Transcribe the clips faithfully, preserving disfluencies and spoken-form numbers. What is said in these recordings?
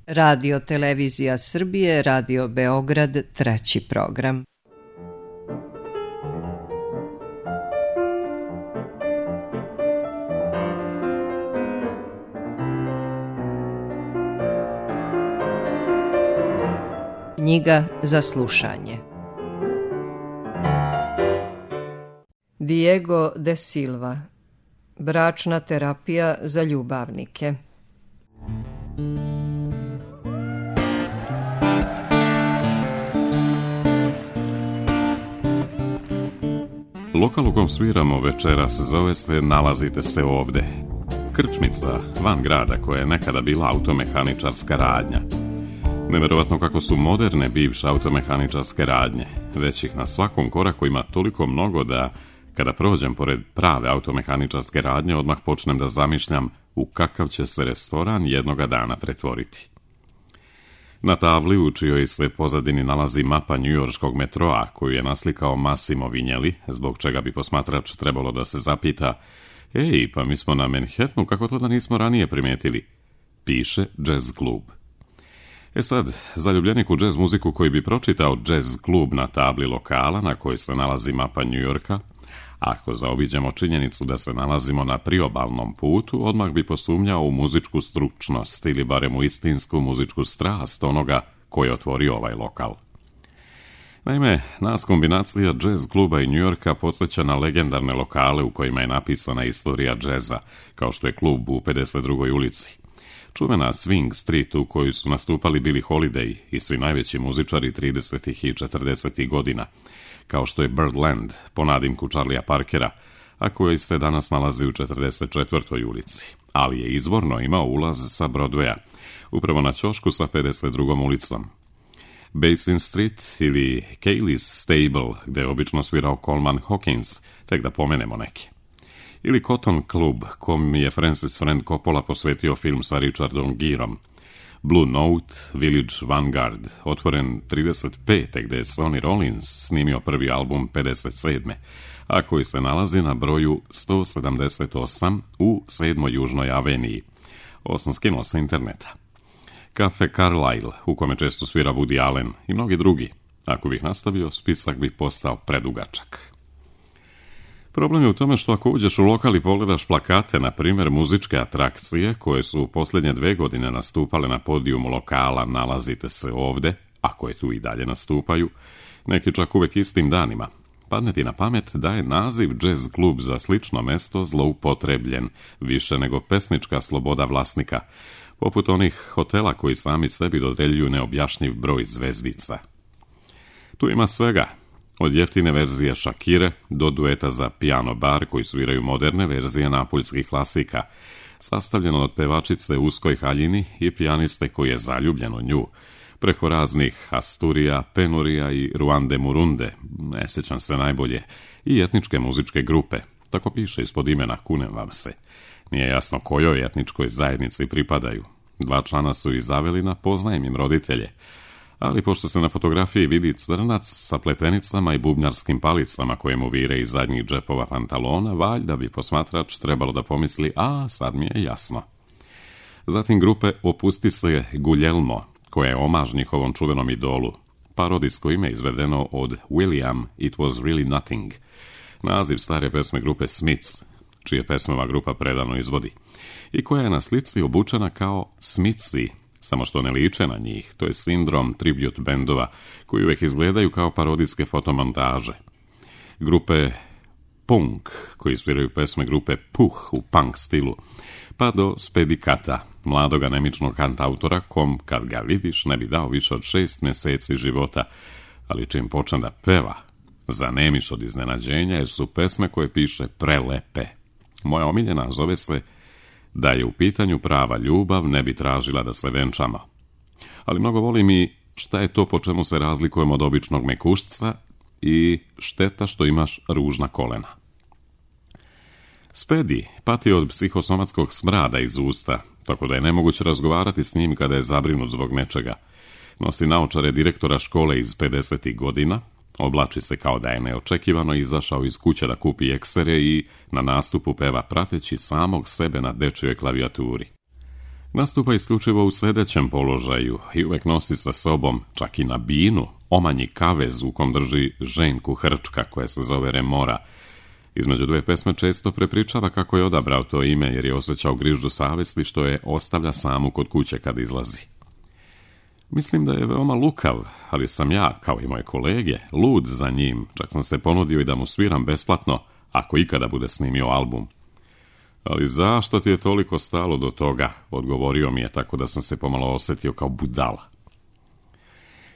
Radio Televizija Srbije, Radio Beograd, treći program. Knjiga za slušanje. Diego de Silva. Bračna terapija za ljubavnike. Lokal u kom sviramo večeras zove se Nalazite se ovde. Krčmica van grada koja je nekada bila automehaničarska radnja. Neverovatno kako su moderne bivše automehaničarske radnje, već ih na svakom koraku ima toliko mnogo da kada prođem pored prave automehaničarske radnje odmah počnem da zamišljam u kakav će se restoran jednoga dana pretvoriti. Na tabli u čijoj se pozadini nalazi mapa njujorškog metroa koju je naslikao Massimo Vignelli, zbog čega bi posmatrač trebalo da se zapita: ej, pa mi smo na Manhattanu, kako to da nismo ranije primetili? Piše Jazz klub. E sad, zaljubljenik u džez muziku koji bi pročitao Jazz klub na tabli lokala na kojoj se nalazi mapa Njujorka, ako zaobiđemo činjenicu da se nalazimo na priobalnom putu, odmah bi posumnjao u muzičku stručnost ili barem u istinsku muzičku strast onoga koji je otvorio ovaj lokal. Naime, nas kombinacija džez kluba i Njujorka podsjeća na legendarne lokale u kojima je napisana istorija džeza, kao što je klub u pedeset drugoj ulici. Čuvena Swing Street u kojoj su nastupali Billie Holiday i svi najveći muzičari tridesetih i četrdesetih godina, kao što je Birdland po nadimku Charlie'a Parkera, a koji se danas nalazi u četrdeset četvrtoj ulici, ali je izvorno imao ulaz sa Broadwaya, upravo na ćošku sa pedeset drugom ulicom. Basin Street ili Kaylee's Stable, gde je obično svirao Coleman Hawkins, tek da pomenemo neke. Ili Cotton Club, kom je Francis Ford Coppola posvetio film sa Richardom Gereom. Blue Note, Village Vanguard, otvoren trideset pete gde je Sonny Rollins snimio prvi album pedeset sedme, a koji se nalazi na broju sto sedamdeset osam u sedmoj Južnoj aveniji. Ovo sam skinuo sa interneta. Cafe Carlyle, u kome često svira Woody Allen i mnogi drugi. Ako bih nastavio, spisak bi postao predugačak. Problem je u tome što ako uđeš u lokal i pogledaš plakate, na primjer muzičke atrakcije koje su u posljednje dve godine nastupale na podijumu lokala Nalazite se ovde, ako je tu i dalje nastupaju, neki čak uvek istim danima, padne ti na pamet da je naziv Jazz klub za slično mesto zloupotrebljen, više nego pesnička sloboda vlasnika, poput onih hotela koji sami sebi dodeljuju neobjašnjiv broj zvezdica. Tu ima svega. Od jeftine verzije Shakire do dueta za piano bar koji sviraju moderne verzije napuljskih klasika, sastavljeno od pevačice u uskoj haljini i pijaniste koji je zaljubljen u nju, preko raznih Asturija, Penurija i Ruande Murunde, ne sjećam se najbolje, i etničke muzičke grupe, tako piše ispod imena, kunem vam se. Nije jasno kojoj etničkoj zajednici pripadaju. Dva člana su iz Avelina, poznajem im roditelje, ali pošto se na fotografiji vidi crnac sa pletenicama i bubnjarskim palicama koje mu vire iz zadnjih džepova pantalona, valjda bi posmatrač trebalo da pomisli: a, sad mi je jasno. Zatim grupe Opusti se Guglielmo, koja je omaž njihovom čuvenom idolu, parodijsko ime izvedeno od William It Was Really Nothing, naziv stare pesme grupe Smiths, čije pesme ova grupa predano izvodi, i koja je na slici obučena kao Smithsi, samo što ne liče na njih. To je sindrom tribute bendova koji uvek izgledaju kao parodijske fotomontaže. Grupe Punk, koji sviraju pesme grupe Puh u punk stilu, pa do Spedikata, mladog anemičnog kantautora kom, kad ga vidiš, ne bi dao više od šest meseci života, ali čim počne da peva, zanemiš od iznenađenja jer su pesme koje piše prelepe. Moja omiljena zove se Da je u pitanju prava ljubav, ne bi tražila da se venčamo. Ali mnogo volim i šta je to po čemu se razlikujemo od običnog mekušca i šteta što imaš ružna kolena. Spedi pati od psihosomatskog smrada iz usta, tako da je nemoguće razgovarati s njim kada je zabrinut zbog nečega. Nosi naočare direktora škole iz pedesetih godina, oblači se kao da je neočekivano izašao iz kuće da kupi eksere i na nastupu peva prateći samog sebe na dečjoj klavijaturi. Nastupa isključivo u sedećem položaju i uvek nosi sa sobom, čak i na binu, omanji kavez u kom drži ženku hrčka koja se zove Remora. Između dve pesme često prepričava kako je odabrao to ime jer je osjećao grižđu savesti što je ostavlja samu kod kuće kad izlazi. Mislim da je veoma lukav, ali sam ja, kao i moje kolege, lud za njim, čak sam se ponudio i da mu sviram besplatno, ako ikada bude snimio album. Ali zašto ti je toliko stalo do toga, odgovorio mi je tako da sam se pomalo osjetio kao budala.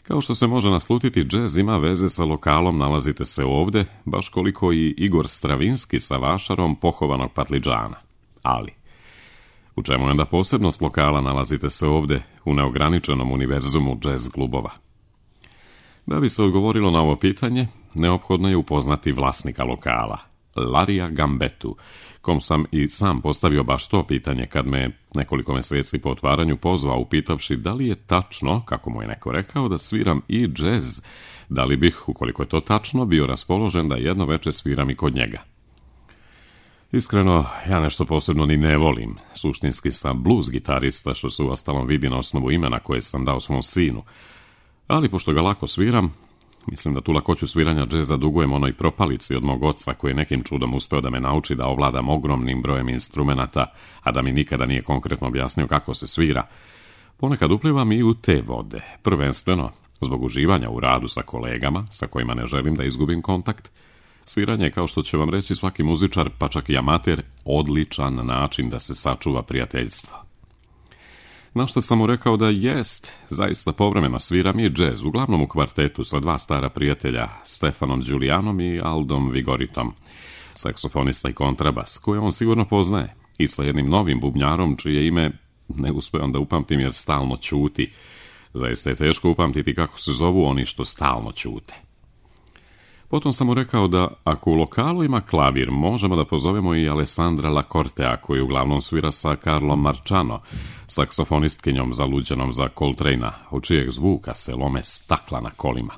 Kao što se može naslutiti, džez ima veze sa lokalom Nalazite se ovde, baš koliko i Igor Stravinski sa vašarom pohovanog Patliđana. Ali, u čemu je onda posebnost lokala Nalazite se ovde u neograničenom univerzumu džez klubova? Da bi se odgovorilo na ovo pitanje, neophodno je upoznati vlasnika lokala, Larija Gambetu, kom sam i sam postavio baš to pitanje kad me nekoliko meseci po otvaranju pozvao upitavši da li je tačno, kako mu je neko rekao, da sviram i džez, da li bih, ukoliko je to tačno, bio raspoložen da jedno veče sviram i kod njega. Iskreno, ja nešto posebno ni ne volim. Suštinski sam blues gitarista, što se uostalom vidi na osnovu imena koje sam dao svom sinu. Ali pošto ga lako sviram, mislim da tu lakoću sviranja džeza dugujem onoj propalici od mog oca koji je nekim čudom uspeo da me nauči da ovladam ogromnim brojem instrumenata, a da mi nikada nije konkretno objasnio kako se svira. Ponekad uplivam i u te vode, prvenstveno zbog uživanja u radu sa kolegama, sa kojima ne želim da izgubim kontakt. Sviranje je, kao što će vam reći svaki muzičar, pa čak i amater, odličan način da se sačuva prijateljstvo. Na što sam mu rekao da jest, zaista povremeno sviram i džez, uglavnom u kvartetu sa dva stara prijatelja, Stefanom Đulijanom i Aldom Vigoritom, saksofonista i kontrabas, koje on sigurno poznaje, i sa jednim novim bubnjarom, čije ime ne uspevam da upamtim jer stalno ćuti. Zaista je teško upamtiti kako se zovu oni što stalno ćute. Potom sam mu rekao da ako u lokalu ima klavir, možemo da pozovemo i Alessandra Lacortea, koji uglavnom svira sa Carlom Marciano, saksofonistkinjom zaluđenom za Coltrane-a, od čijeg zvuka se lome stakla na kolima.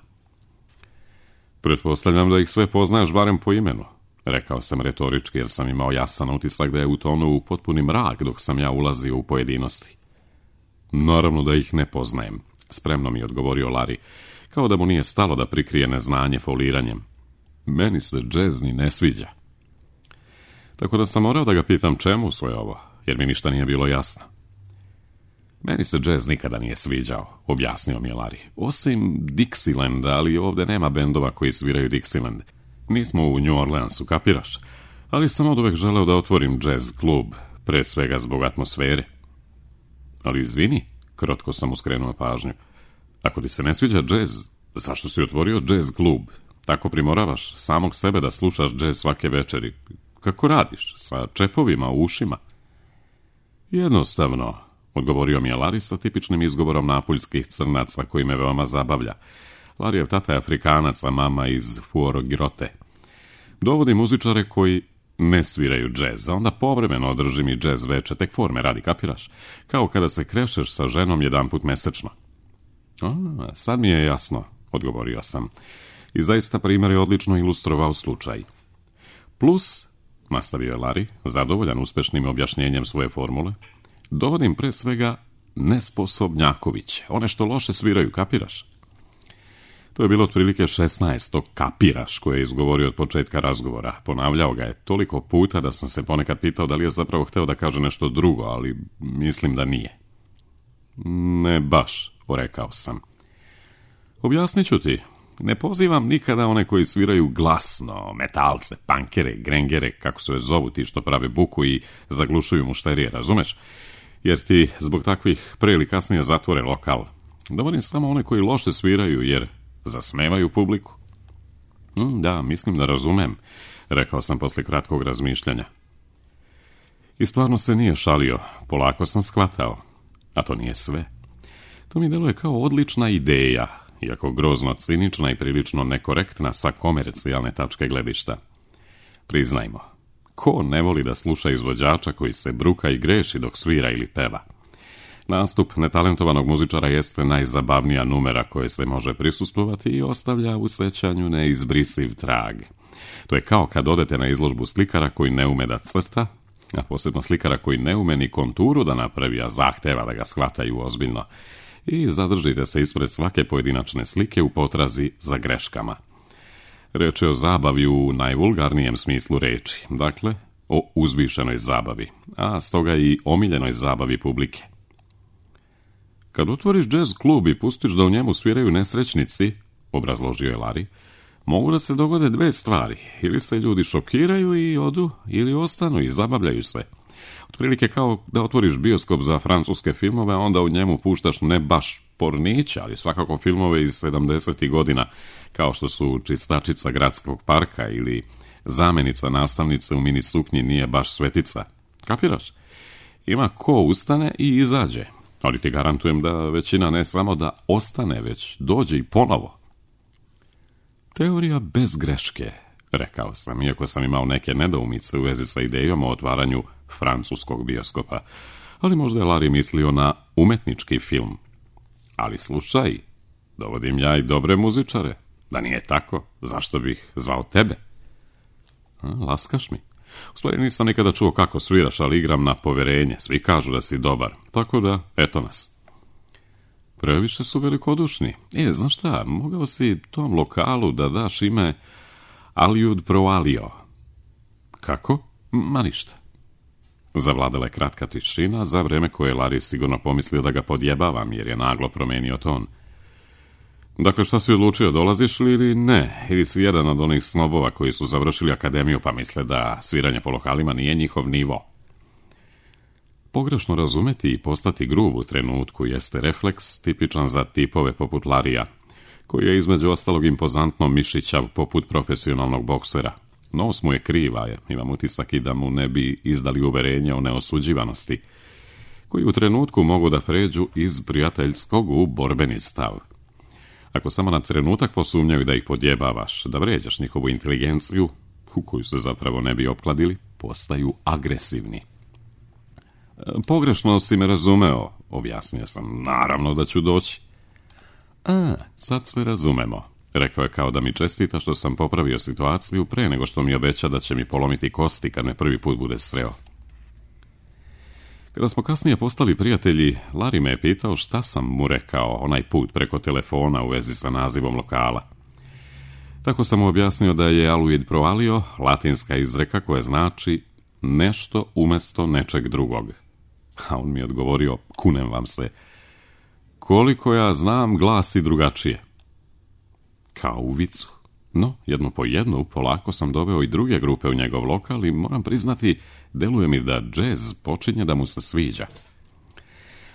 Pretpostavljam da ih sve poznaješ barem po imenu, rekao sam retorički jer sam imao jasan utisak da je utonuo u potpuni mrak dok sam ja ulazio u pojedinosti. Naravno da ih ne poznajem, spremno mi je odgovorio Larry, kao da mu nije stalo da prikrije neznanje foliranjem. Meni se džez ni ne sviđa. Tako da sam morao da ga pitam čemu sve ovo, jer mi ništa nije bilo jasno. Meni se džez nikada nije sviđao, objasnio mi je Larry. Osim Dixieland, ali ovde nema bendova koji sviraju Dixieland. Nismo u New Orleansu, kapiraš? Ali sam od uvek želeo da otvorim džez klub, pre svega zbog atmosfere. Ali izvini, krotko sam mu skrenuo pažnju. Ako ti se ne sviđa džez, zašto si otvorio džez klub? Tako primoravaš samog sebe da slušaš džez svake večeri. Kako radiš? Sa čepovima u ušima? Jednostavno, odgovorio mi je Larry sa tipičnim izgovorom napuljskih crnaca koji me veoma zabavlja. Larryjev tata je Afrikanac, a mama iz Fuorogirote. Dovodi muzičare koji ne sviraju džez, a onda povremeno održi mi džez veče, tek forme radi, kapiraš? Kao kada se krešeš sa ženom jedan put mesečno. A, sad mi je jasno, odgovorio sam. I zaista primjer je odlično ilustrovao slučaj. Plus, nastavio je Larry, zadovoljan uspešnim objašnjenjem svoje formule, dovodim pre svega nesposobnjakoviće, one što loše sviraju, kapiraš? To je bilo otprilike šesnaesto kapiraš koje je izgovorio od početka razgovora. Ponavljao ga je toliko puta da sam se ponekad pitao da li je zapravo hteo da kaže nešto drugo, ali mislim da nije. Ne baš, rekao sam. Objasnit ću ti. Ne pozivam nikada one koji sviraju glasno, metalce, pankere, grengere, kako se zovu ti što prave buku i zaglušuju mušterije, razumeš? Jer ti zbog takvih pre ili kasnije zatvore lokal. Dovodim samo one koji loše sviraju jer zasmevaju publiku. Mm, da, mislim da razumem, rekao sam posle kratkog razmišljanja. I stvarno se nije šalio, polako sam shvatao. A to nije sve. To mi deluje kao odlična ideja, iako grozno cinična i prilično nekorektna sa komercijalne tačke gledišta. Priznajmo, ko ne voli da sluša izvođača koji se bruka i greši dok svira ili peva? Nastup netalentovanog muzičara jeste najzabavnija numera koje se može prisustvovati i ostavlja u sećanju neizbrisiv trag. To je kao kad odete na izložbu slikara koji ne ume da crta, A posebno slikara koji ne ume ni konturu da napravi, a zahteva da ga shvataju ozbiljno. I zadržite se ispred svake pojedinačne slike u potrazi za greškama. Reč je o zabavi u najvulgarnijem smislu reči, dakle, o uzvišenoj zabavi, a stoga i omiljenoj zabavi publike. Kad otvoriš džez klub i pustiš da u njemu sviraju nesrećnici, obrazložio je Larry, mogu da se dogode dve stvari, ili se ljudi šokiraju i odu, ili ostanu i zabavljaju se. Otprilike kao da otvoriš bioskop za francuske filmove, a onda u njemu puštaš ne baš pornića, ali svakako filmove iz sedamdesetih godina, kao što su Čistačica gradskog parka ili Zamenica nastavnice u mini suknji nije baš svetica. Kapiraš? Ima ko ustane i izađe, ali ti garantujem da većina ne samo da ostane, već dođe i ponovo. Teorija bez greške, rekao sam, iako sam imao neke nedoumice u vezi sa idejom o otvaranju francuskog bioskopa, ali možda je Larry mislio na umetnički film. Ali slušaj, dovodim ja i dobre muzičare. Da nije tako, zašto bih zvao tebe? A, laskaš mi. U stvari nisam nikada čuo kako sviraš, ali igram na poverenje. Svi kažu da si dobar, tako da, eto nas. Previše su velikodušni. E, znaš šta, mogao si tom lokalu da daš ime Aliud Pro Alio. Kako? Ma ništa. Zavladala je kratka tišina, za vreme koje je Larry sigurno pomislio da ga podjebavam, jer je naglo promenio ton. Dakle, šta si odlučio, dolaziš li ili ne? Ili si jedan od onih snobova koji su završili akademiju pa misle da sviranje po lokalima nije njihov nivo? Pogrešno razumeti i postati grub u trenutku jeste refleks tipičan za tipove poput Larija, koji je između ostalog impozantno mišićav poput profesionalnog boksera. Nos mu je kriva, je. Imam utisak i da mu ne bi izdali uverenje o neosuđivanosti, koji u trenutku mogu da pređu iz prijateljskog u borbeni stav. Ako samo na trenutak posumnjaju da ih podjebavaš, da vređaš njihovu inteligenciju, u koju se zapravo ne bi opkladili, postaju agresivni. Pogrešno si me razumeo, objasnio sam, naravno da ću doći. A, sad se razumemo, rekao je kao da mi čestita što sam popravio situaciju pre nego što mi obeća da će mi polomiti kosti kad me prvi put bude sreo. Kada smo kasnije postali prijatelji, Larry me je pitao šta sam mu rekao onaj put preko telefona u vezi sa nazivom lokala. Tako sam mu objasnio da je Aluid Pro Alio latinska izreka koja znači nešto umjesto nečeg drugog. A on mi je odgovorio, kunem vam se, koliko ja znam glasi drugačije. Kao u vicu. No, jedno po jedno, polako sam doveo i druge grupe u njegov lokal i moram priznati, deluje mi da džez počinje da mu se sviđa.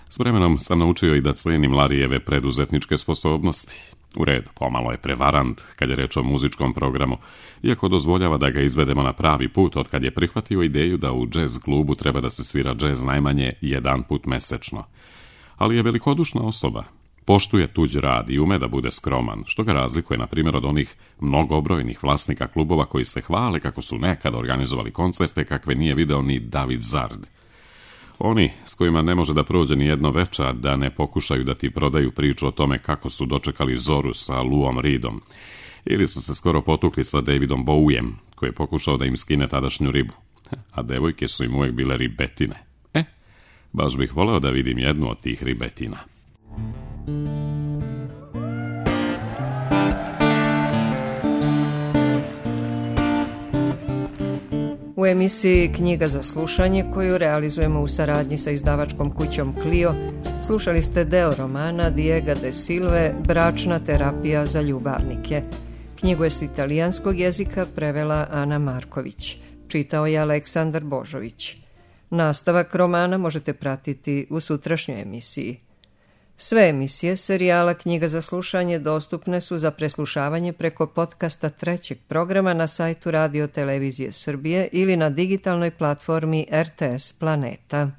S vremenom sam naučio i da cenim Larijeve preduzetničke sposobnosti. U redu, pomalo je prevarant kad je reč o muzičkom programu, iako dozvoljava da ga izvedemo na pravi put od kad je prihvatio ideju da u džez klubu treba da se svira džez najmanje jedan put mesečno. Ali je velikodušna osoba. Poštuje tuđ rad i ume da bude skroman, što ga razlikuje, na primjer, od onih mnogobrojnih vlasnika klubova koji se hvale kako su nekad organizovali koncerte kakve nije video ni David Zard. Oni s kojima ne može da prođe ni jedno večer da ne pokušaju da ti prodaju priču o tome kako su dočekali zoru sa Luom Reedom, ili su se skoro potukli sa Davidom Bowiem, koji je pokušao da im skine tadašnju ribu, a devojke su im uvijek bile ribetine. E, baš bih voleo da vidim jednu od tih ribetina. U emisiji Knjiga za slušanje, koju realizujemo u saradnji sa izdavačkom kućom Clio, slušali ste deo romana Diega de Silve Bračna terapija za ljubavnike. Knjigu je s italijanskog jezika prevela Ana Marković. Čitao je Aleksandar Božović. Nastavak romana možete pratiti u sutrašnjoj emisiji. Sve emisije serijala Knjiga za slušanje dostupne su za preslušavanje preko podcasta trećeg programa na sajtu Radio Televizije Srbije ili na digitalnoj platformi R T S Planeta.